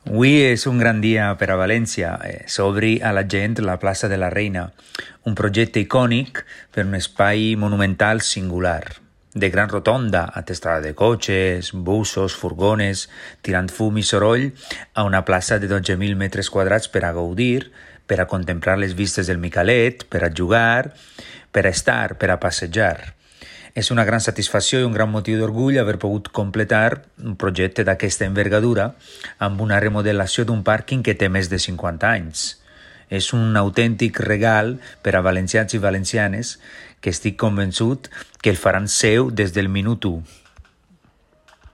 Avui és un gran dia per a València. S'obri a la gent la plaça de la Reina, un projecte icònic per un espai monumental singular, de gran rotonda, atestada de cotxes, busos, furgones, tirant fum i soroll a una plaça de 12.000 metres quadrats per a gaudir, per a contemplar les vistes del Micalet, per a jugar, per a estar, per a passejar. És una gran satisfacció i un gran motiu d'orgull haver pogut completar un projecte d'aquesta envergadura amb una remodelació d'un pàrquing que té més de 50 anys. És un autèntic regal per a valencians i valencianes que estic convençut que el faran seu des del minut 1.